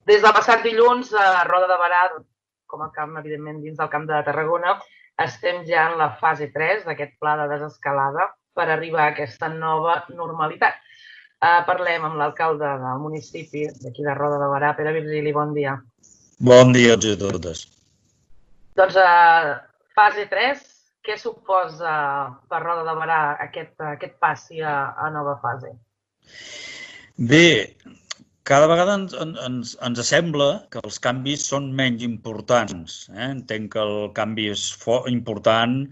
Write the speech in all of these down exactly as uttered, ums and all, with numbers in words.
Des del passat dilluns, a Roda de Berà, com a camp, evidentment, dins del Camp de Tarragona, estem ja en la fase tres d'aquest pla de desescalada per arribar a aquesta nova normalitat. Parlem amb l'alcalde del municipi, d'aquí de Roda de Berà, Pere Virgili, bon dia. Bon dia a tots i a totes. Doncs fase tres, què suposa per Roda de Berà aquest passi a nova fase? Bé, cada vegada ens sembla que els canvis són menys importants. Entenc que el canvi és important,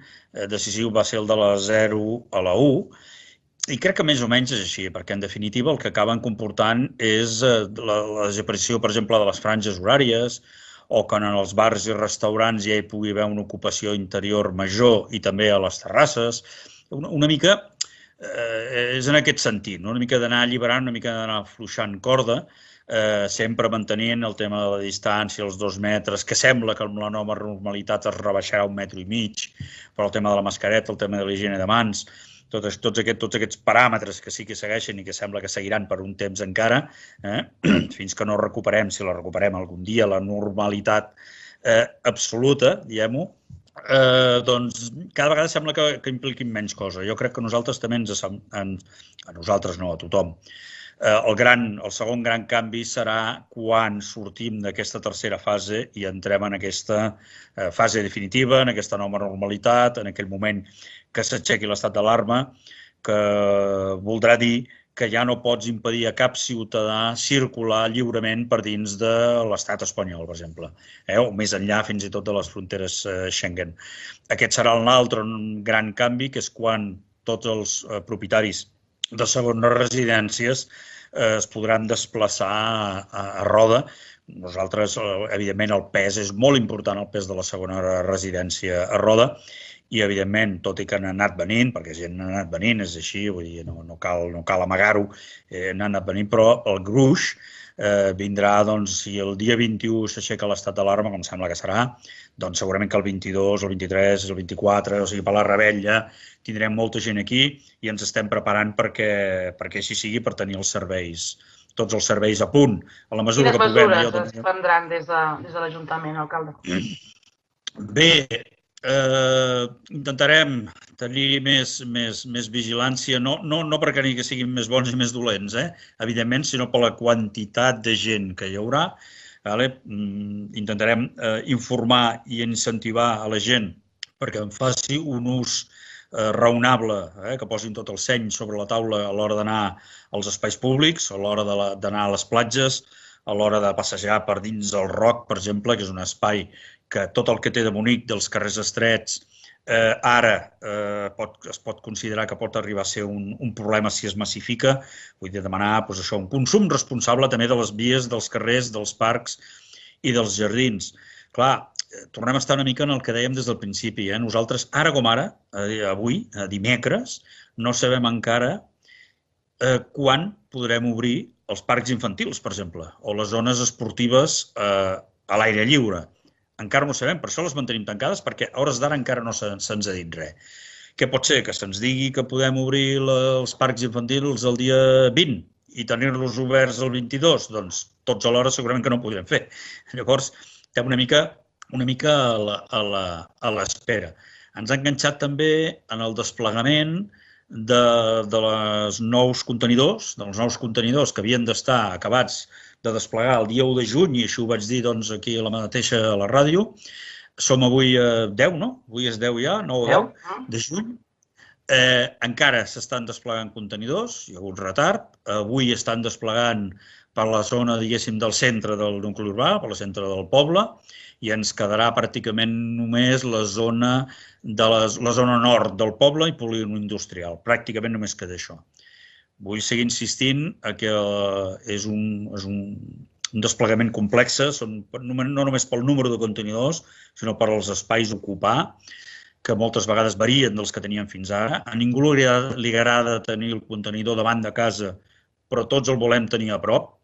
decisiu va ser el de la zero a la u, i crec que més o menys és així, perquè en definitiva el que acaben comportant és la desaparició, per exemple, de les franges horàries, o que en els bars i restaurants ja hi pugui haver una ocupació interior major i també a les terrasses. Una mica és en aquest sentit, una mica d'anar alliberant, una mica d'anar afluixant corda, sempre mantenint el tema de la distància, els dos metres, que sembla que amb la nova normalitat es rebaixarà un metro i mig, però el tema de la mascareta, el tema de l'higiene de mans, tots aquests paràmetres que sí que segueixen i que sembla que seguiran per un temps encara, fins que no recuperem, si la recuperem algun dia, la normalitat absoluta, diguem-ho, doncs cada vegada sembla que impliquin menys cosa. Jo crec que a nosaltres també ens... A nosaltres no, a tothom. El segon gran canvi serà quan sortim d'aquesta tercera fase i entrem en aquesta fase definitiva, en aquesta nova normalitat, en aquell moment que s'aixequi l'estat d'alarma, que voldrà dir que ja no pots impedir a cap ciutadà circular lliurement per dins de l'estat espanyol, per exemple, o més enllà fins i tot de les fronteres Schengen. Aquest serà l'altre gran canvi, que és quan tots els propietaris de segones residències es podran desplaçar a Roda. Nosaltres, evidentment, el pes és molt important, el pes de la segona residència a Roda, i, evidentment, tot i que han anat venint, perquè gent ha anat venint, és així, vull dir, no cal amagar-ho, han anat venint, però el gruix vindrà, doncs, si el dia vint-i-u s'aixeca l'estat d'alarma, com sembla que serà, doncs segurament que el vint-i-dos, el vint-i-tres, el vint-i-quatre, o sigui, per la Rebella, tindrem molta gent aquí i ens estem preparant perquè així sigui, per tenir els serveis, tots els serveis a punt. Quines mesures es prendran des de l'Ajuntament, alcalde? Bé, intentarem tenir més vigilància, no perquè ni que siguin més bons i més dolents, evidentment, sinó per la quantitat de gent que hi haurà. Intentarem informar i incentivar a la gent perquè en faci un ús raonable, que posin tot el seny sobre la taula a l'hora d'anar als espais públics, a l'hora d'anar a les platges, a l'hora de passejar per dins el Roc, per exemple, que és un espai que tot el que té de bonic dels carrers estrets ara es pot considerar que pot arribar a ser un problema si es massifica. Vull dir, demanar un consum responsable també de les vies, dels carrers, dels parcs i dels jardins. Clar, tornem a estar una mica en el que dèiem des del principi. Nosaltres, ara com ara, avui, dimecres, no sabem encara quan podrem obrir els parcs infantils, per exemple, o les zones esportives a l'aire lliure. Encara no ho sabem, per això les mantenim tancades, perquè a hores d'ara encara no se'ns ha dit res. Què pot ser? Que se'ns digui que podem obrir els parcs infantils el dia vint i tenir-los oberts el vint-i-dos? Doncs tots alhora segurament que no ho podrem fer. Llavors, estem una mica a l'espera. Ens ha enganxat també en el desplegament dels nous contenidors, dels nous contenidors que havien d'estar acabats de desplegar el dia u de juny, i això ho vaig dir aquí a la mateixa a la ràdio. Som avui a deu, no? Avui és deu ja, nou o deu de juny. Encara s'estan desplegant contenidors, hi ha hagut retard. Avui estan desplegant per la zona, diguéssim, del centre del nucli urbà, per la centre del poble, i ens quedarà pràcticament només la zona nord del poble i polígon industrial. Pràcticament només queda això. Vull seguir insistint que és un desplegament complex, no només pel número de contenidors, sinó per als espais a ocupar, que moltes vegades varien dels que teníem fins ara. A ningú li agrada tenir el contenidor davant de casa, però tots el volem tenir a prop.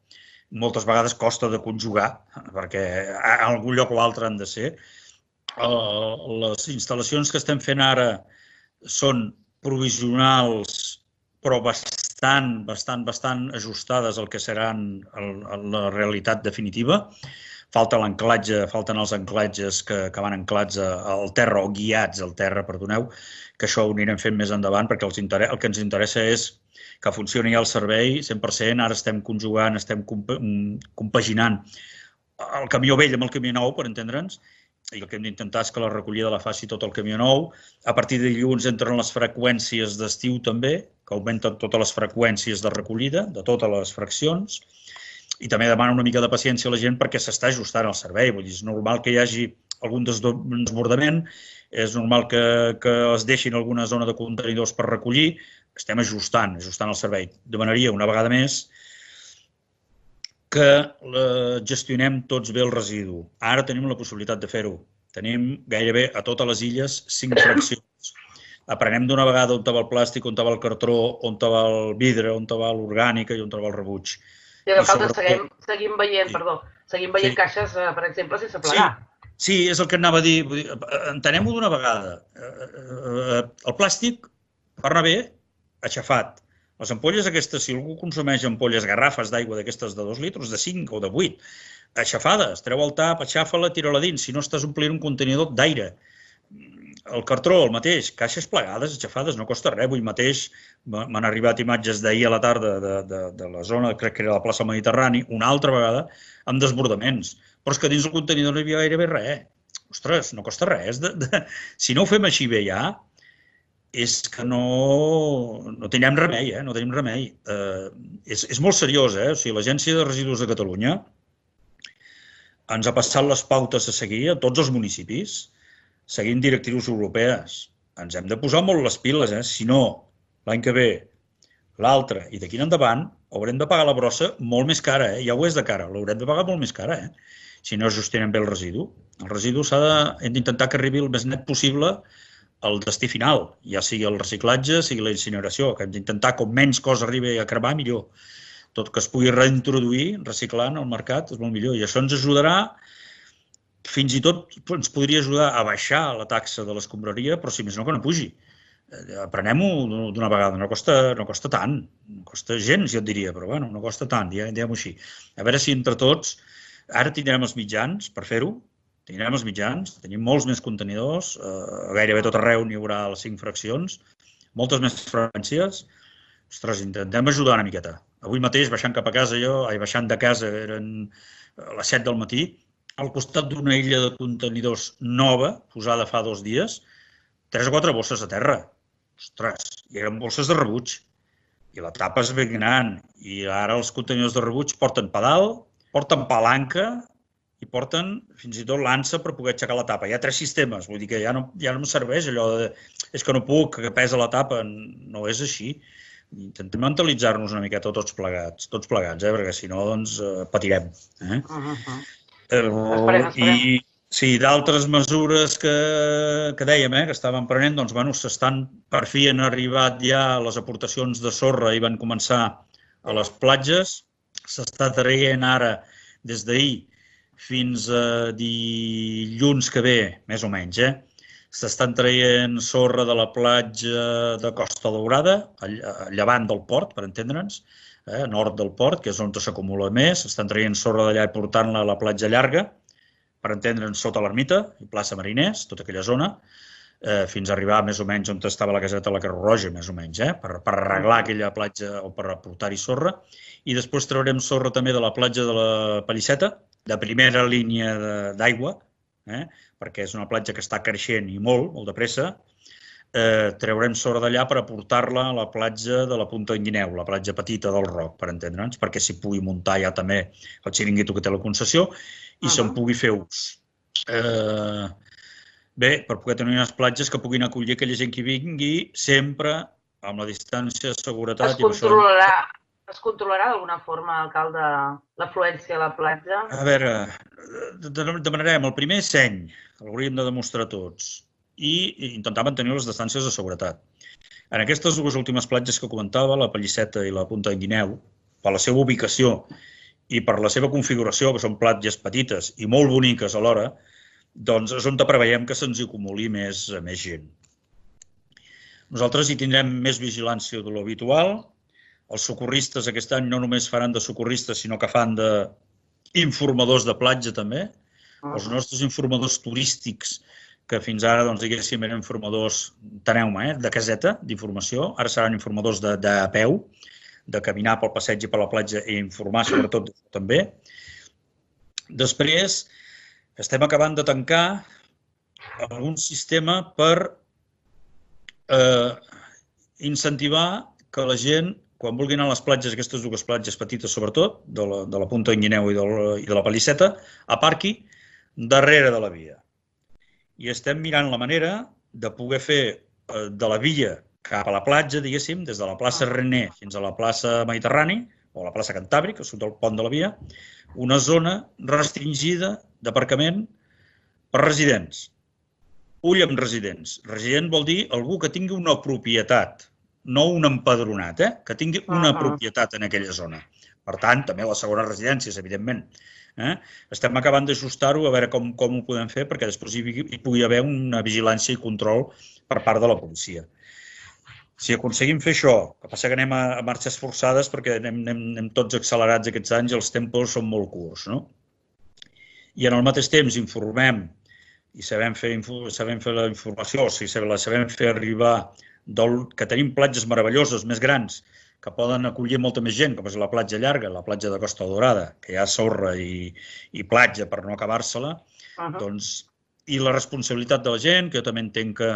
Moltes vegades costa de conjugar, perquè en algun lloc o altre han de ser. Les instal·lacions que estem fent ara són provisionals, però bastant bastant, bastant, bastant ajustades al que seran la realitat definitiva. Falta l'anclatge, falten els anclatges que, que van anclats al terra o guiats al terra, perdoneu, que això ho anirem fent més endavant perquè els interessa, el que ens interessa és que funcioni el servei cent per cent. Ara estem conjugant, estem compaginant el camió vell amb el camió nou, per entendre'ns, i el que hem d'intentar és que la recollida la faci tot el camió nou. A partir de dilluns entren les freqüències d'estiu també, que augmenten totes les freqüències de recollida, de totes les fraccions, i també demana una mica de paciència a la gent perquè s'està ajustant el servei. Vull dir, és normal que hi hagi algun desbordament, és normal que, que es deixin alguna zona de contenidors per recollir. Estem ajustant, ajustant el servei. Demanaria una vegada més que gestionem tots bé el residu. Ara tenim la possibilitat de fer-ho. Tenim gairebé a totes les illes cinc fraccions. Aprenem d'una vegada on va el plàstic, on va el cartró, on va el vidre, on va l'orgànica i on va el rebuig. I nosaltres seguim, seguim veient, sí. perdó, seguim veient sí. caixes, per exemple, sense plegar. Sí, sí, és el que anava a dir. Entenem-ho d'una vegada. El plàstic, per anar bé, aixafat. Les ampolles aquestes, si algú consumeix ampolles, garrafes d'aigua d'aquestes de dos litres, de cinc o de vuit, aixafades, treu el tap, aixafa-la, tira-la dins, si no estàs omplint un contenidor d'aire. El cartró, el mateix, caixes plegades, aixafades, no costa res. Avui mateix m'han arribat imatges d'ahir a la tarda de, de, de la zona, crec que era la plaça Mediterrani, una altra vegada, amb desbordaments. Però és que dins el contenidor no hi havia gairebé res. Ostres, no costa res. De, de... Si no ho fem així bé ja, és que no, no tenim remei, eh? no tenim remei. Eh, és, és molt seriós, eh? O sigui, l'Agència de Residus de Catalunya ens ha passat les pautes a seguir a tots els municipis, seguint directrius europees. Ens hem de posar molt les piles, eh? Si no, l'any que ve, l'altre i d'aquí en endavant, haurem de pagar la brossa molt més cara, eh? Ja ho és de cara, l'haurem de pagar molt més cara, eh? Si no gestionem bé el residu. El residu s'ha de, hem d'intentar que arribi el més net possible al destí final, ja sigui el reciclatge, sigui la incineració, que hem d'intentar com menys cosa arribi a cremar, millor. Tot que es pugui reintroduir, reciclant al mercat, és molt millor. I això ens ajudarà, fins i tot ens podria ajudar a baixar la taxa de l'escombraria, però si més no que no pugi. Aprenem-ho d'una vegada, no costa, no costa tant, no costa gens, jo et diria, però bueno, no costa tant, diguem-ho així. A veure si entre tots, ara tindrem els mitjans per fer-ho, tindrem els mitjans, tenim molts més contenidors, eh, gairebé tot arreu n'hi haurà les cinc fraccions, moltes més freqüències. Ostres, intentem ajudar una miqueta. Avui mateix, baixant cap a casa jo, ai, baixant de casa, eren a les set del matí, al costat d'una illa de contenidors nova, posada fa dos dies, tres o quatre bosses a terra. Ostres, i eren bosses de rebuig. I la tapa és ben gran. I ara els contenidors de rebuig porten pedal, porten palanca i porten fins i tot l'ansa per poder aixecar la tapa. Hi ha tres sistemes, vull dir que ja no, ja no em serveix allò de és que no puc, que pesa la tapa. No és així. Intentem mentalitzar-nos una miqueta tots plegats, tots plegats, eh? Perquè si no, doncs, patirem. Eh? Uh -huh. Esperem, esperem. I sí, d'altres mesures que, que dèiem, eh, que estàvem prenent, doncs, bueno, s'estan, per fi han arribat ja les aportacions de sorra i van començar a les platges. S'està traient ara, des d'ahir fins a dilluns que ve, més o menys, eh, s'estan traient sorra de la platja de Costa Daurada, a llevant del port, per entendre'ns, a nord del port, que és on s'acumula més. Estan traient sorra d'allà i portant-la a la platja llarga, per entendre'ns sota l'ermita i plaça Mariners, tota aquella zona, fins a arribar més o menys on estava la caseta de la Creu Roja, més o menys, per arreglar aquella platja o per aportar-hi sorra. I després traurem sorra també de la platja de la Pallisseta, de primera línia d'aigua, perquè és una platja que està creixent i molt, molt de pressa. Traurem sorra d'allà per aportar-la a la platja de la Punta d'en Guineu, la platja petita del Roc, per entendre'ns, perquè s'hi pugui muntar ja també el xiringuito que té la concessió i se'n pugui fer ús. Bé, per poder tenir unes platges que puguin acollir aquella gent que vingui sempre amb la distància de seguretat. Es controlarà, es controlarà d'alguna forma, alcalde, l'afluència a la platja? A veure, demanarem el primer seny, l'hauríem de demostrar tots, i intentar mantenir les distàncies de seguretat. En aquestes dues últimes platges que comentava, la Pallisseta i la Punta d'en Guineu, per la seva ubicació i per la seva configuració, que són platges petites i molt boniques alhora, doncs és on preveiem que se'ns acumuli més, més gent. Nosaltres hi tindrem més vigilància de l'habitual, Els socorristes aquest any no només faran de socorristes, sinó que fan d'informadors de platja també. Els nostres informadors turístics, que fins ara, doncs, diguéssim, eren informadors, teneu-me, eh, de caseta, d'informació, ara seran informadors de, de peu, de caminar pel passeig i per la platja i informar, sobretot, també. Després, estem acabant de tancar algun sistema per eh, incentivar que la gent, quan vulgui anar a les platges, aquestes dues platges petites sobretot, de la, de la Punta d'Enguineu i, i de la Palisseta, aparqui darrere de la via. I estem mirant la manera de poder fer eh, de la via cap a la platja, diguéssim, des de la plaça René fins a la plaça Mediterrani, o la plaça Cantàbric, que surt del pont de la via, una zona restringida d'aparcament per residents. Ull amb residents. Resident vol dir algú que tingui una propietat, no un empadronat, eh? Que tingui una propietat en aquella zona. Per tant, també les segones residències, evidentment. Eh? Estem acabant d'ajustar-ho a veure com, com ho podem fer perquè després hi, hi pugui haver una vigilància i control per part de la policia. Si aconseguim fer això, que passa que anem a, a marxes forçades perquè anem, anem, anem tots accelerats aquests anys i els tempos són molt curts, no? I en el mateix temps informem i sabem fer, sabem fer la informació, o sigui, la sabem fer arribar del, que tenim platges meravelloses, més grans, que poden acollir molta més gent, com és la platja llarga, la platja de Costa Dorada, que hi ha sorra i, i platja per no acabar-se-la, uh-huh. doncs, i la responsabilitat de la gent, que jo també entenc que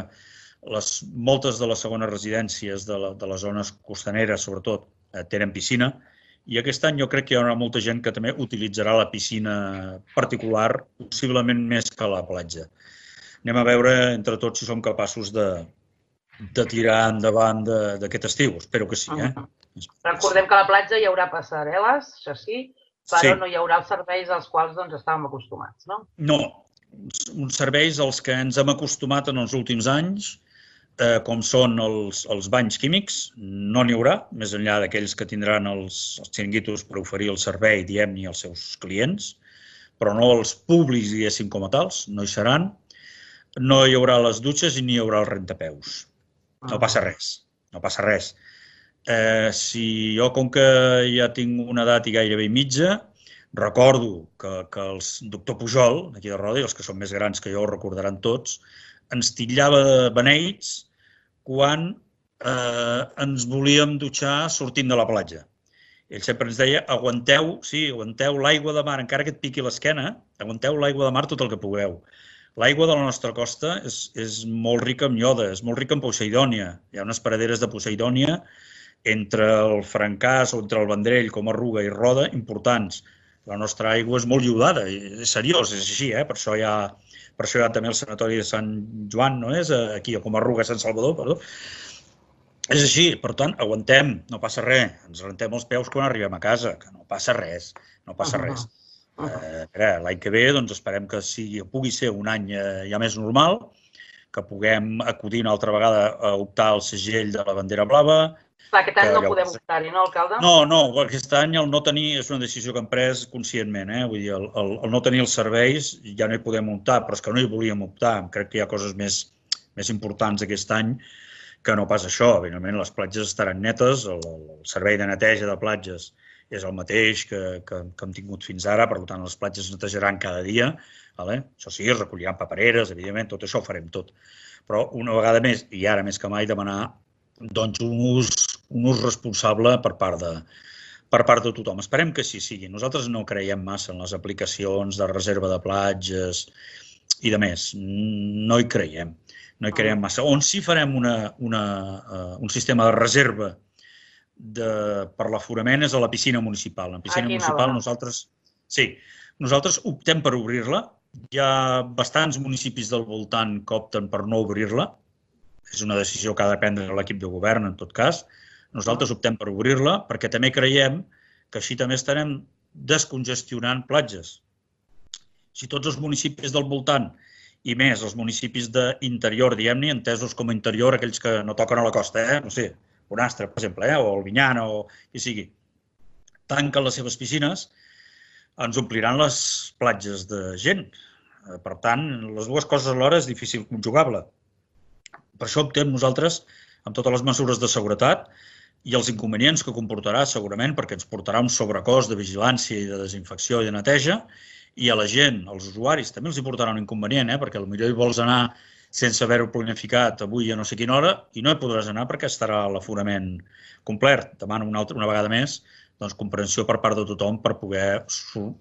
les, moltes de les segones residències de, la, de les zones costaneres, sobretot, eh, tenen piscina, i aquest any jo crec que hi haurà molta gent que també utilitzarà la piscina particular, possiblement més que la platja. Anem a veure entre tots si som capaços de, de tirar endavant d'aquest estiu, espero que sí. Eh? Uh-huh. Recordem que a la platja hi haurà passarel·les, això sí, però sí. No hi haurà els serveis als quals doncs, estàvem acostumats, no? No, uns serveis als que ens hem acostumat en els últims anys, eh, com són els, els banys químics, no n'hi haurà, més enllà d'aquells que tindran els, els xiringuitos per oferir el servei, diem-ne, als seus clients, però no els públics, diguéssim, com a tals, no hi seran. No hi haurà les dutxes i ni hi haurà el rentapeus. No passa res, no passa res. Eh, si jo, com que ja tinc una edat i gairebé mitja, recordo que, que el doctor Pujol, d'aquí de Roda, i els que són més grans que jo ho recordaran tots, ens titllava de beneits quan eh, ens volíem dutxar sortint de la platja. Ell sempre ens deia, aguanteu, sí, aguanteu l'aigua de mar, encara que et piqui l'esquena, aguanteu l'aigua de mar tot el que pugueu. L'aigua de la nostra costa és, és molt rica en ioda, és molt rica en poseidònia. Hi ha unes paraderes de poseidònia entre el Francàs o entre el Vendrell, com Arruga i Roda, importants. La nostra aigua és molt iodada, és seriós, és així, eh? Per això hi ha, per això hi ha també el sanatori de Sant Joan, no és? Aquí, com Arruga, Sant Salvador, perdó. És així, per tant, aguantem, no passa res. Ens rentem els peus quan arribem a casa, que no passa res, no passa res. Eh, L'any que ve doncs, esperem que sigui, pugui ser un any eh, ja més normal, que puguem acudir una altra vegada a optar al segell de la bandera blava. Clar, aquest any no podem optar-hi, no, alcalde? No, no, aquest any el no tenir és una decisió que hem pres conscientment, eh? Vull dir, el, el, el no tenir els serveis ja no hi podem optar, però és que no hi volíem optar. Crec que hi ha coses més, més importants aquest any que no pas això. Evidentment, les platges estaran netes, el, el servei de neteja de platges és el mateix que, que, que hem tingut fins ara, per tant, les platges es netejaran cada dia. Vale? Això sí, es recolliran papereres, evidentment, tot això ho farem tot. Però una vegada més, i ara més que mai, demanar doncs, un, ús, un ús responsable per part, de, per part de tothom. Esperem que sí sigui. Nosaltres no creiem massa en les aplicacions de reserva de platges i de més. No hi creiem. No hi creiem massa. On sí farem una, una, uh, un sistema de reserva de, per l'aforament és a la piscina municipal. La piscina Aquí municipal no, nosaltres... Sí, nosaltres optem per obrir-la. Hi ha bastants municipis del voltant que opten per no obrir-la. És una decisió que ha de prendre l'equip de govern, en tot cas. Nosaltres optem per obrir-la perquè també creiem que així també estarem descongestionant platges. Si tots els municipis del voltant, i més els municipis d'interior, diguem-ne, entesos com a interior, aquells que no toquen a la costa, eh? No sé, Bonastre, per exemple, eh? O el Vinyana, o qui sigui, tanquen les seves piscines, ens ompliran les platges de gent. Per tant, les dues coses alhora és difícil conjugar-la. Per això optem nosaltres, amb totes les mesures de seguretat, i els inconvenients que comportarà segurament, perquè ens portarà un sobrecost de vigilància i de desinfecció i de neteja, i a la gent, als usuaris, també els hi portarà un inconvenient, eh? Perquè potser hi vols anar sense haver-ho planificat avui a no sé quina hora i no hi podràs anar perquè estarà l'aforament complet. Demano una, altra, una vegada més doncs, comprensió per part de tothom per poder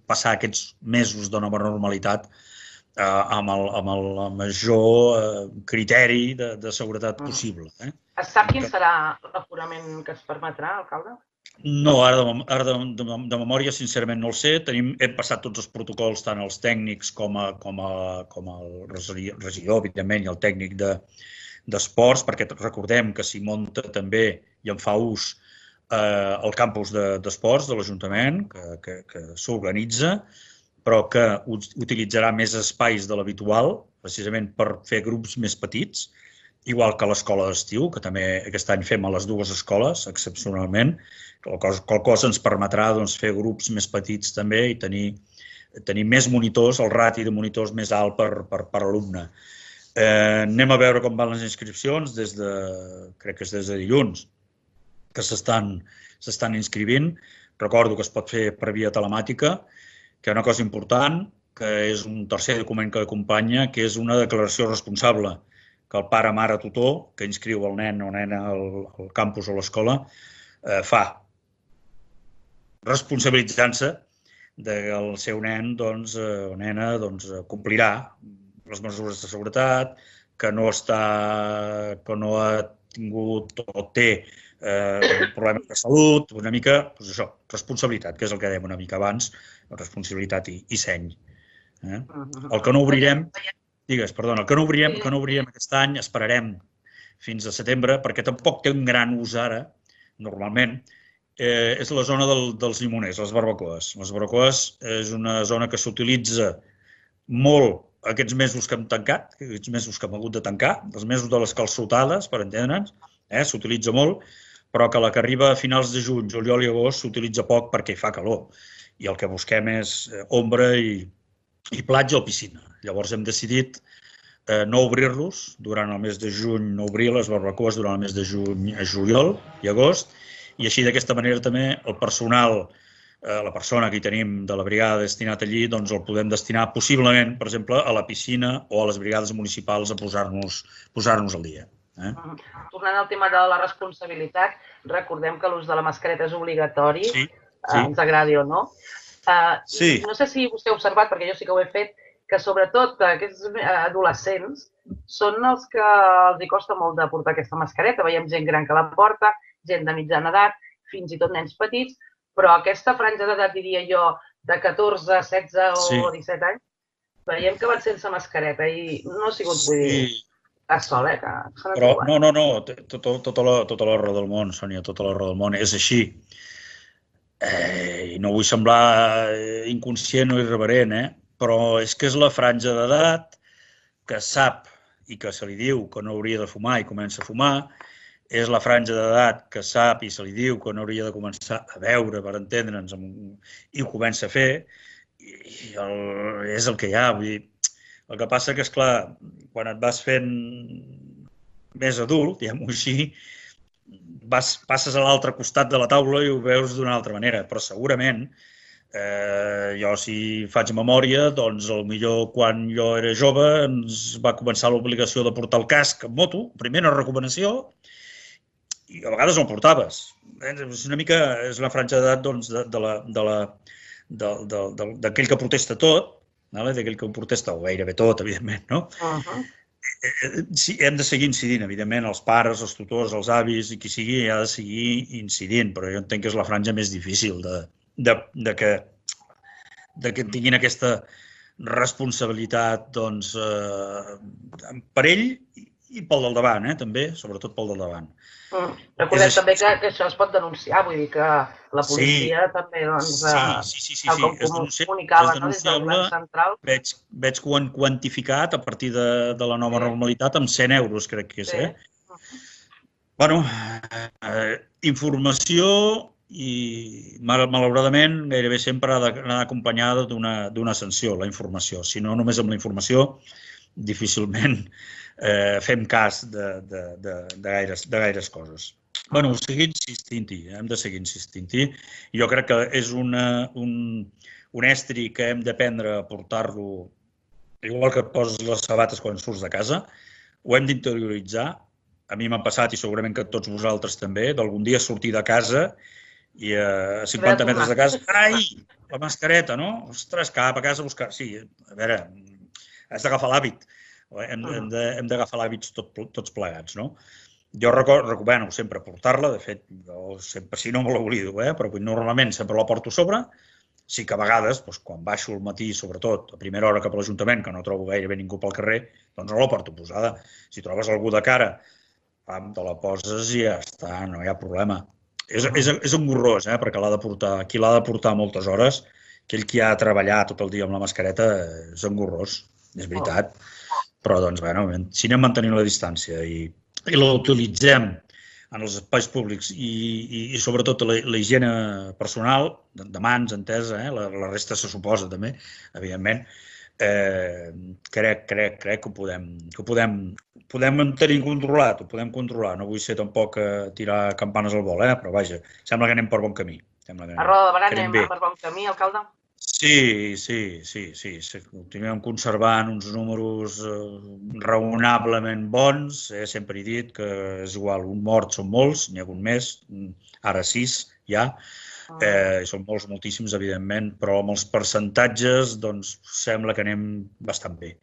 passar aquests mesos de nova normalitat eh, amb, el, amb el major eh, criteri de, de seguretat possible. Eh? Es sap quin serà l'aforament que es permetrà, alcalde? No, ara, de, ara de, de, de memòria, sincerament, no el sé. Tenim, hem passat tots els protocols, tant els tècnics com, a, com, a, com el regidor, evidentment, i el tècnic d'esports, de, perquè recordem que s'hi munta també i en fa ús eh, el campus d'esports de, de l'Ajuntament, que, que, que s'organitza, però que utilitzarà més espais de l'habitual, precisament per fer grups més petits, igual que l'escola d'estiu, que també aquest any fem a les dues escoles, excepcionalment, qual cosa ens permetrà doncs, fer grups més petits també i tenir, tenir més monitors, el rati de monitors més alt per, per, per alumne. Eh, anem a veure com van les inscripcions, des de, crec que és des de dilluns, que s'estan s'estan inscrivint. Recordo que es pot fer per via telemàtica, que hi ha una cosa important, que és un tercer document que acompanya, que és una declaració responsable, que el pare, mare, tutor, que inscriu el nen o nena al, al campus o a l'escola, eh, fa, responsabilitzant-se que el seu nen doncs, eh, o nena doncs, complirà les mesures de seguretat, que no, està, que no ha tingut o té eh, problemes de salut, una mica, doncs això, responsabilitat, que és el que dèiem una mica abans, responsabilitat i, i seny. Eh? El que no obrirem... Digues, perdona, el que no obrirem, que no obrirem aquest any, esperarem fins a setembre, perquè tampoc té un gran ús ara, normalment, eh, és la zona del, dels llimoners, les barbacoes. Les barbacoes és una zona que s'utilitza molt aquests mesos que hem tancat, aquests mesos que hem hagut de tancar, els mesos de les calçotades, per entendre'ns, eh, s'utilitza molt, però que la que arriba a finals de juny, juliol i agost s'utilitza poc perquè hi fa calor. I el que busquem és ombra i, i platja o piscina. Llavors hem decidit eh, no obrir-los durant el mes de juny, no obrir les barbacoes durant el mes de juny a juliol i agost, i així d'aquesta manera també el personal, eh, la persona que hi tenim de la brigada destinat allí, doncs el podem destinar possiblement, per exemple, a la piscina o a les brigades municipals a posar-nos posar-nos al dia. Eh? Tornant al tema de la responsabilitat, recordem que l'ús de la mascareta és obligatori, sí, sí. Eh, ens agradi o no. Eh, sí. No sé si vostè ha observat, perquè jo sí que ho he fet, que sobretot aquests adolescents són els que els hi costa molt de portar aquesta mascareta. Veiem gent gran que la porta, gent de mitjana edat, fins i tot nens petits, però aquesta franja d'edat, diria jo, de catorze, setze o sí. disset anys, veiem que van sense mascareta i no ha sigut, vull dir, sí. Estàs sol, eh? Que però, no, no, no, tota, tota, la, tota la raó del món, Sònia, tota la raó del món, és així. Eh, I no vull semblar inconscient o irreverent, eh? Però és que és la franja d'edat que sap i que se li diu que no hauria de fumar i comença a fumar, és la franja d'edat que sap i se li diu que no hauria de començar a beure, per entendre'ns, i ho comença a fer, i el, és el que hi ha. Vull dir, el que passa que, esclar, quan et vas fent més adult, diguem-ho així, vas, passes a l'altre costat de la taula i ho veus d'una altra manera, però segurament Eh, jo, si faig memòria, doncs, potser quan jo era jove ens va començar l'obligació de portar el casc en moto, primera recomanació, i a vegades no el portaves. És una mica, és una franja d'edat doncs, de, de la, de la, d'aquell que protesta tot, d'aquell que ho protesta, o gairebé tot, evidentment, no? Uh-huh. Sí, hem de seguir incidint, evidentment, els pares, els tutors, els avis, i qui sigui, ha de seguir incidint, però jo entenc que és la franja més difícil de De, de, que, de que tinguin aquesta responsabilitat doncs, eh, per ell i pel del davant, eh, també, sobretot pel del davant. Mm. Recordem també que, que això es pot denunciar, vull dir que la policia sí. també, doncs, sí, sí, sí, sí, sí. com és denunciable, comunicava no, des del govern central. Veig, veig que ho han quantificat a partir de, de la nova sí. normalitat amb cent euros, crec que és. Sí. Eh? Bueno, eh, informació i malauradament gairebé sempre ha d'anar acompanyada d'una sanció, la informació. Si no, només amb la informació difícilment eh, fem cas de, de, de, de, gaires, de gaires coses. Bueno, ho seguir insistint-hi, hem de seguir insistint-hi. Jo crec que és una, un, un estri que hem d'aprendre a portar-lo, igual que et poses les sabates quan surts de casa, ho hem d'interioritzar. A mi m'ha passat, i segurament que tots vosaltres també, d'algun dia sortir de casa i a cinquanta metres de casa, ai, la mascareta, no? Ostres, cap a casa a buscar... Sí, a veure, has d'agafar l'hàbit. Hem, hem d'agafar l'hàbits tot, tots plegats, no? Jo recomano sempre portar-la, de fet, jo sempre, si no me l'oblido, eh? Però normalment sempre la porto a sobre. Sí que a vegades, doncs, quan baixo al matí, sobretot, a primera hora cap a l'Ajuntament, que no trobo gairebé ningú pel carrer, doncs no la porto posada. Si trobes algú de cara, te la poses i ja està, no hi ha problema. És, és, és engorrós, eh? Perquè l'ha de portar, qui l'ha de portar moltes hores, aquell qui ha de treballar tot el dia amb la mascareta, és engorrós, és veritat. Però, doncs, bueno, si anem mantenint la distància i i la utilitzem en els espais públics i, i, i sobretot la, la higiene personal, de, de mans, entesa, eh? la, la resta se suposa també, evidentment, eh, crec, crec, crec que ho podem, que ho podem, podem tenir controlat, ho podem controlar. No vull ser tampoc a tirar campanes al vol, eh? Però vaja, sembla que anem per bon camí. Sembla que anem, a Roda de Barà anem per bon camí, alcalde? Sí, sí, sí, sí. Continuem conservant uns números raonablement bons. Sempre he dit que és igual, un mort són molts, n'hi ha hagut més, ara sis ja. Són molts, moltíssims, evidentment, però amb els percentatges doncs sembla que anem bastant bé.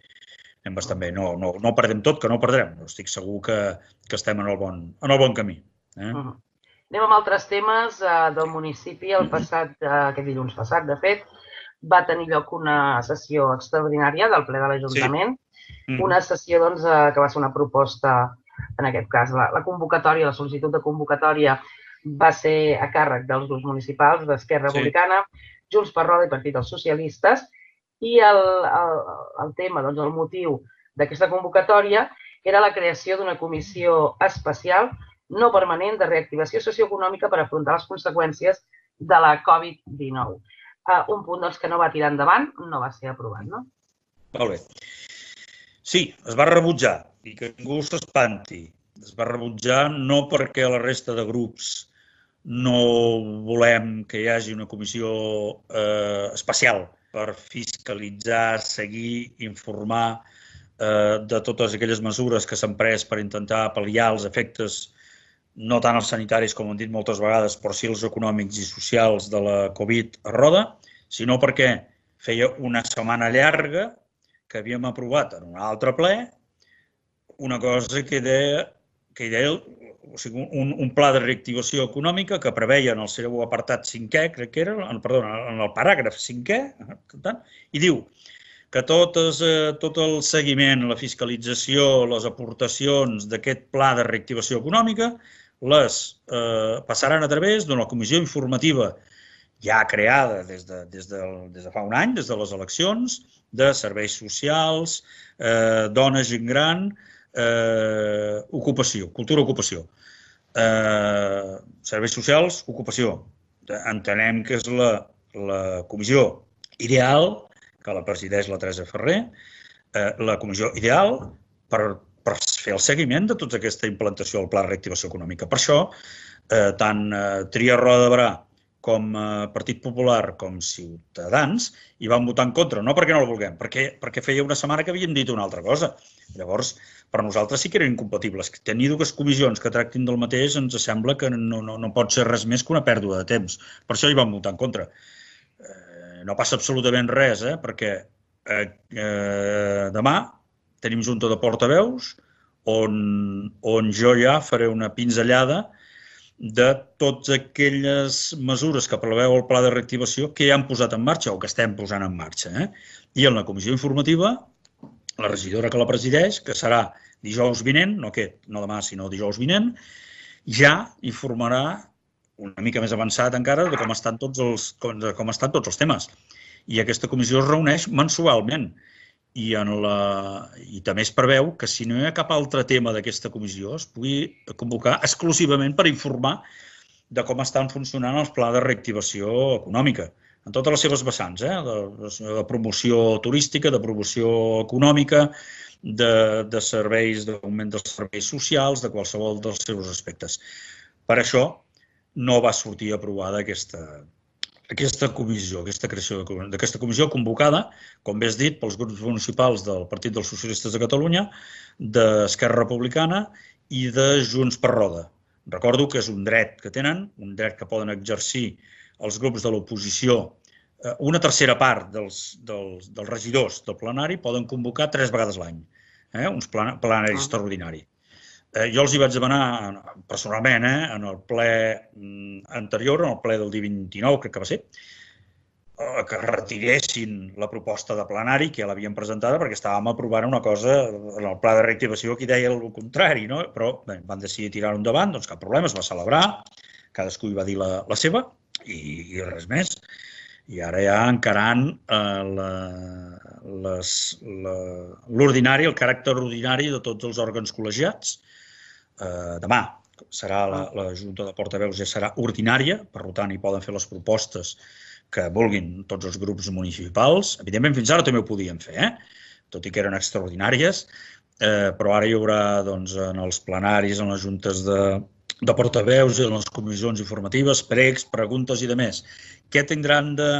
Anem bastant bé. No, no, no perdem tot, que no perdrem. Estic segur que, que estem en el bon, en el bon camí. Eh? Uh-huh. Anem amb altres temes uh, del municipi. El passat, uh, aquest dilluns passat, de fet, va tenir lloc una sessió extraordinària del ple de l'Ajuntament, sí. mm. una sessió doncs, uh, que va ser una proposta, en aquest cas, la, la convocatòria, la sol·licitud de convocatòria va ser a càrrec dels grups municipals d'Esquerra Republicana, sí. Junts per Roda i Partit dels Socialistes, i el, el, el tema, doncs, el motiu d'aquesta convocatòria era la creació d'una comissió especial no permanent de reactivació socioeconòmica per afrontar les conseqüències de la Covid dinou. Uh, un punt doncs, que no va tirar endavant, no va ser aprovat, no? Molt bé. Sí, es va rebutjar, i que ningú s'espanti. Es va rebutjar no perquè la resta de grups no volem que hi hagi una comissió eh, especial per fiscalitzar, seguir, informar eh, de totes aquelles mesures que s'han pres per intentar pal·liar els efectes no tant els sanitaris, com han dit moltes vegades, però sí els econòmics i socials de la Covid a Roda, sinó perquè feia una setmana llarga que havíem aprovat en un altre ple una cosa que deia, que deia o sigui, un, un pla de reactivació econòmica que preveia en el seu apartat cinquè, crec que era, perdona, en el paràgraf cinquè, i diu que totes, eh, tot el seguiment, la fiscalització, les aportacions d'aquest pla de reactivació econòmica les eh, passaran a través d'una comissió informativa ja creada des de, des, de, des de fa un any, des de les eleccions, de serveis socials, eh, dones, gent gran, eh, ocupació, cultura, ocupació. Eh, serveis socials, ocupació. Entenem que és la, la comissió ideal, que la presideix la Teresa Ferrer, eh, la comissió ideal per per fer el seguiment de tota aquesta implantació del Pla de Reactivació Econòmica. Per això, eh, tant eh, Tria Roda de Barà com eh, Partit Popular com Ciutadans hi van votar en contra, no perquè no el vulguem, perquè, perquè feia una setmana que havíem dit una altra cosa. Llavors, per nosaltres sí que eren incompatibles. Tenir dues comissions que tractin del mateix ens sembla que no, no, no pot ser res més que una pèrdua de temps. Per això hi van votar en contra. Eh, no passa absolutament res, eh, perquè eh, eh, demà tenim junta de portaveus on, on jo ja faré una pinzellada de totes aquelles mesures que preveu el pla de reactivació que ja han posat en marxa o que estem posant en marxa. Eh? I en la comissió informativa, la regidora que la presideix, que serà dijous vinent, no aquest, no demà, sinó dijous vinent, ja informarà una mica més avançat encara de com estan tots els, com, com estan tots els temes. I aquesta comissió es reuneix mensualment. I, en la, i també es preveu que si no hi ha cap altre tema d'aquesta comissió es pugui convocar exclusivament per informar de com estan funcionant els plans de reactivació econòmica, en totes les seves vessants, eh? de, de promoció turística, de promoció econòmica, de, de serveis, d'augment dels serveis socials, de qualsevol dels seus aspectes. Per això no va sortir aprovada aquesta, aquesta comissió, aquesta creació d'aquesta comissió convocada, com bé has dit, pels grups municipals del Partit dels Socialistes de Catalunya, d'Esquerra Republicana i de Junts per Roda. Recordo que és un dret que tenen, un dret que poden exercir els grups de l'oposició. Una tercera part dels, dels, dels regidors del plenari poden convocar tres vegades l'any, eh? uns plan, plenari ah. extraordinari. Eh, jo els hi vaig demanar personalment eh, en el ple anterior, en el ple del dia vint-i-nou, crec que va ser, eh, que retiressin la proposta de plenari que ja l'havien presentada perquè estàvem aprovant una cosa en el pla de reactivació que deia el contrari, no? Però bé, van decidir tirar-ho endavant, doncs cap problema, es va celebrar, cadascú hi va dir la, la seva i, i res més. I ara ja encarant eh, l'ordinari, el caràcter ordinari de tots els òrgans col·legiats. Eh, demà serà la, la Junta de Portaveus, ja serà ordinària, per tant, hi poden fer les propostes que vulguin tots els grups municipals. Evidentment, fins ara també ho podien fer, eh? Tot i que eren extraordinàries, eh, però ara hi haurà doncs, en els plenaris, en les juntes de, de portaveus i en les comissions informatives, pregs, preguntes i demés. Què tindran de,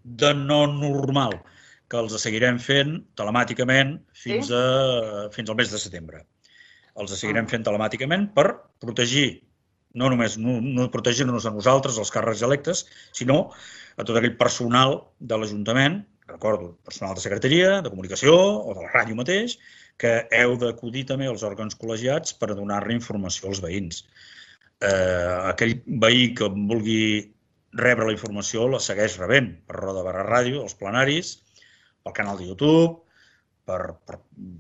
de no normal? Que els seguirem fent telemàticament fins, a, fins al mes de setembre. Els seguirem fent telemàticament per protegir, no només no, no protegir-nos a nosaltres, els càrrecs electes, sinó a tot aquell personal de l'Ajuntament, recordo, personal de secretaria, de comunicació o de la ràdio mateix, que heu d'acudir també als òrgans col·legiats per donar-li informació als veïns. Eh, aquell veí que vulgui rebre la informació la segueix rebent per Roda barra Ràdio, els plenaris, pel canal de YouTube, per, per,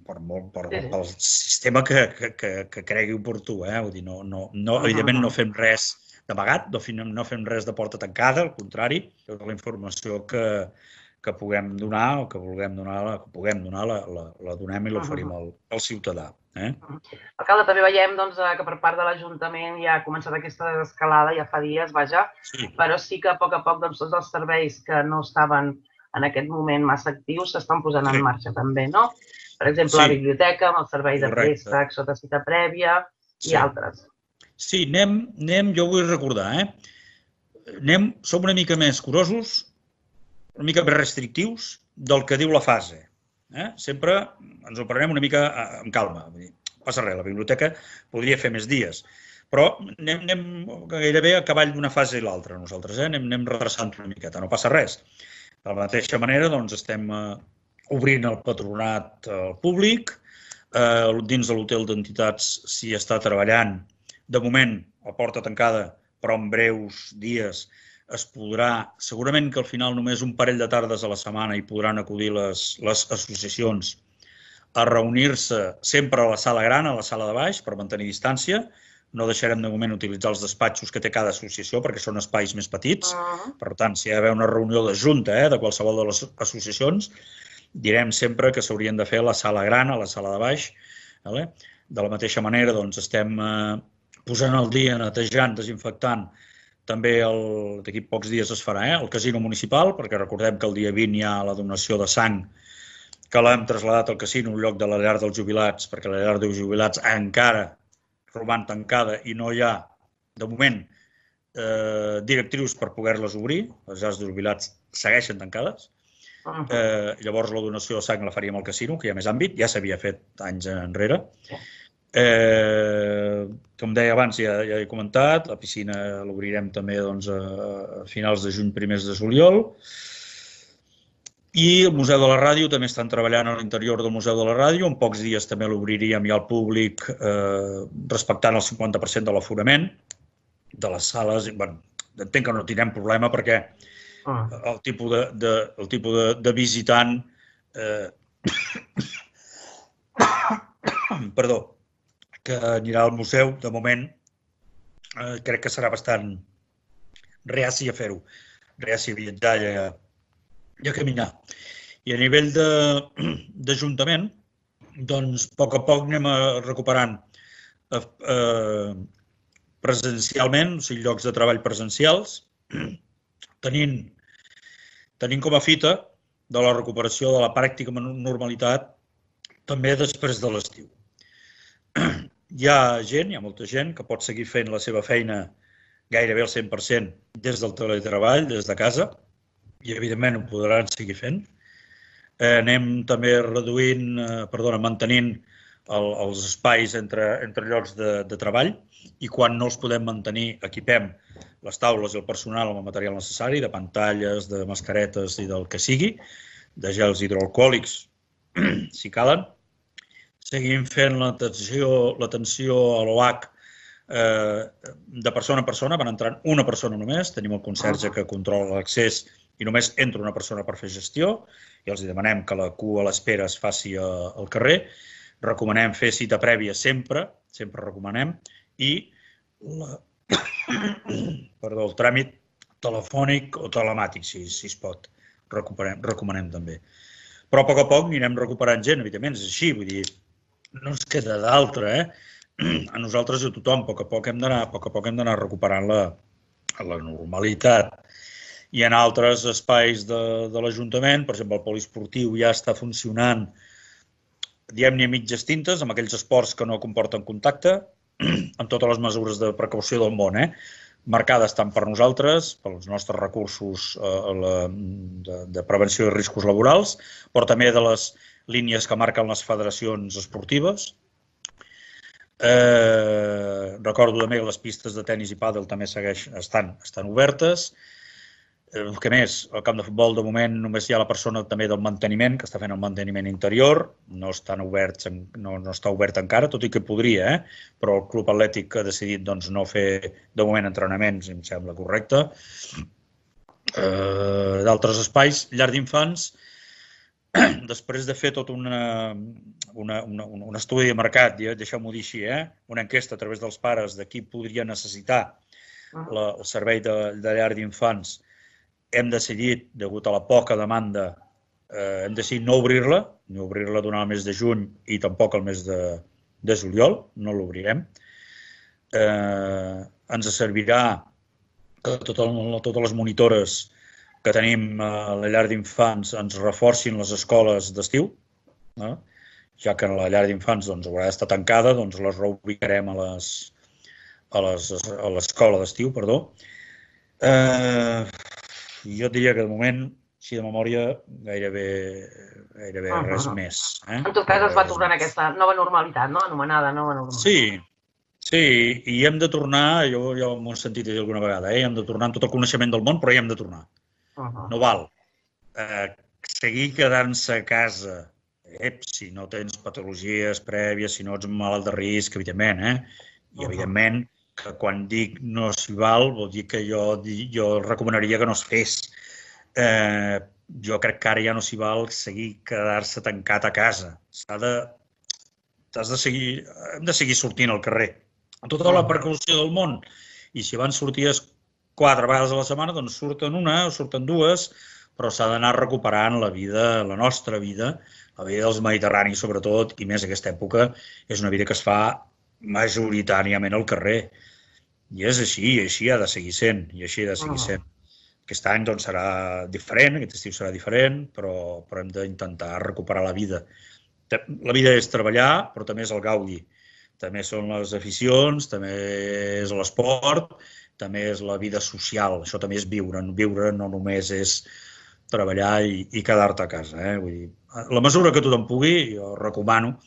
per, per, per, pel sistema que, que, que cregui oportú. Eh? Vull dir, no, no, no, evidentment no fem res d'amagat, no, no fem res de porta tancada, al contrari, tota la informació que, que puguem donar o que vulguem donar, que puguem donar la, la, la donem i l'oferim al, al ciutadà. Eh? Alcalde, també veiem doncs, que per part de l'Ajuntament ja ha començat aquesta desescalada, ja fa dies, vaja, sí. Però sí que a poc a poc doncs, tots els serveis que no estaven en aquest moment massa actius s'estan posant sí. en marxa també, no? Per exemple, sí. la biblioteca, amb el servei de préstec sota cita prèvia i sí. altres. Sí, anem, anem, jo vull recordar, eh? Anem, som una mica més curosos, una mica més restrictius del que diu la fase. Eh? Sempre ens ho prenem una mica amb calma. No passa res, la biblioteca podria fer més dies, però anem, anem gairebé a cavall d'una fase i l'altra nosaltres, eh? anem, anem redreçant una miqueta, no passa res. De la mateixa manera, doncs, estem eh, obrint el patronat al públic, eh, dins de l'hotel d'entitats s'hi està treballant. De moment, a porta tancada, però en breus dies es podrà, segurament que al final només un parell de tardes a la setmana hi podran acudir les, les associacions a reunir-se sempre a la sala gran, a la sala de baix, per mantenir distància. No deixarem de moment utilitzar els despatxos que té cada associació perquè són espais més petits. Per tant, si hi ha d'haver una reunió de junta eh, de qualsevol de les associacions, direm sempre que s'haurien de fer a la sala gran, a la sala de baix. Vale? De la mateixa manera, doncs, estem eh, posant al dia, netejant, desinfectant. També d'aquí pocs dies es farà eh, el casino municipal, perquè recordem que el dia vint hi ha la donació de sang que l'hem traslladat al casino en lloc de la llar dels jubilats, perquè la llar dels jubilats encara roman tancada i no hi ha, de moment, eh, directrius per poder-les obrir. Les llars de jubilats segueixen tancades. Eh, llavors, la donació de sang la faríem al casino, que hi ha més àmbit, ja s'havia fet anys enrere. Eh, com deia abans, ja, ja he comentat, la piscina l'obrirem també doncs, a finals de juny, primers de juliol. I el Museu de la Ràdio també estan treballant a l'interior del Museu de la Ràdio. En pocs dies també l'obriríem ja al públic eh, respectant el cinquanta per cent de l'aforament de les sales. Bueno, entenc que no tindrem problema perquè el tipus de, de, el tipus de, de visitant eh, perdó, que anirà al museu, de moment, eh, crec que serà bastant reaci a fer-ho, reaci a viatjar i a i a caminar. I a nivell d'Ajuntament, doncs, a poc a poc anem recuperant eh, presencialment, o sigui, llocs de treball presencials, tenint, tenint com a fita de la recuperació de la pràctica normalitat també després de l'estiu. hi ha gent, hi ha molta gent que pot seguir fent la seva feina gairebé al cent per cent des del teletreball, des de casa, i evidentment ho podran seguir fent. Eh, anem també reduint, eh, perdona, mantenint el, els espais entre, entre llocs de, de treball, i quan no els podem mantenir equipem les taules i el personal amb el material necessari, de pantalles, de mascaretes i del que sigui, de gels hidroalcohòlics, si calen. Seguim fent l'atenció l'atenció a l'O H eh, de persona a persona, van entrant una persona només, tenim el conserge que controla l'accés i només entra una persona per fer gestió, i els demanem que la cua a l'espera es faci al carrer. Recomanem fer cita prèvia sempre, sempre recomanem, i la, perdó, el tràmit telefònic o telemàtic, si, si es pot, recomanem, recomanem també. Però a poc a poc anirem recuperant gent, evidentment, és així, vull dir, no ens queda d'altra, eh? A nosaltres i a tothom, a poc a poc hem d'anar a poc a poc hem d'anar recuperant la, la normalitat. I en altres espais de, de l'Ajuntament, per exemple, el poliesportiu ja està funcionant, diguem-ne a mitges tintes, amb aquells esports que no comporten contacte, amb totes les mesures de precaució del món, eh? Marcades tant per nosaltres, pels nostres recursos eh, la, de, de prevenció de riscos laborals, però també de les línies que marquen les federacions esportives. Eh, recordo també que les pistes de tenis i pàdel també segueix, estan, estan obertes. Eh, què més? Al camp de futbol, de moment, només hi ha la persona també del manteniment, que està fent el manteniment interior. No, estan oberts, no, no està obert encara, tot i que podria, eh? Però el Club Atlètic ha decidit doncs, no fer, de moment, entrenaments, i em sembla correcte. Eh, d'altres espais, llar d'infants, després de fer tot una, una, una, un estudi de mercat, deixeu-m'ho dir així, eh? Una enquesta a través dels pares de qui podria necessitar la, el servei de, de llar d'infants, hem decidit, degut a la poca demanda, eh, hem decidit no obrir-la, ni obrir-la durant el mes de juny i tampoc el mes de, de juliol, no l'obrirem. Eh, ens servirà que totes, totes les monitores que tenim a la llar d'infants ens reforcin les escoles d'estiu, eh? Ja que la llar d'infants doncs, haurà d'estar tancada, doncs les reubicarem a les, a les, a l'escola d'estiu, perdó. Eh, jo et diria que de moment, si de memòria, gairebé, gairebé uh-huh. res més. Eh? En tot cas es va tornar en aquesta nova normalitat, no? Anomenada nova normalitat. Sí, sí, i hem de tornar, jo ja m'ho he sentit dir alguna vegada, eh? Hem de tornar amb tot el coneixement del món, però hi hem de tornar. Uh-huh. No val. Eh, seguir quedant-se a casa, eh, si no tens patologies prèvies, si no ets malalt de risc, evidentment, eh? I evidentment que quan dic no s'hi val, vol dir que jo, jo recomanaria que no es fes. Eh, jo crec que ara ja no s'hi val seguir quedar-se tancat a casa. S'ha de, has de seguir, hem de seguir sortint al carrer, amb tota la precaució del món. I si abans sorties quatre vegades a la setmana, doncs surten una o surten dues, però s'ha d'anar recuperant la vida, la nostra vida, la vida dels mediterranis sobretot, i més aquesta època, és una vida que es fa majoritàriament al carrer. I és així, i així ha de seguir sent, i així ha de seguir sent. Aquest any doncs, serà diferent, aquest estiu serà diferent, però, però hem d'intentar recuperar la vida. La vida és treballar, però també és el gaudi. També són les aficions, també és l'esport, també és la vida social. Això també és viure. Viure no només és treballar i, i quedar-te a casa. Eh? Vull dir, la mesura que tothom pugui, jo recomano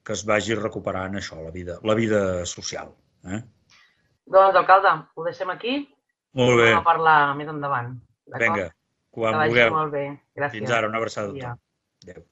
que es vagi recuperant això, la vida, la vida social. Eh? Doncs, alcalde, ho deixem aquí. Molt bé. Anem a parlar més endavant. Vinga, quan vulgueu. Molt bé. Gràcies. Fins ara, una abraçada a tothom. Adéu.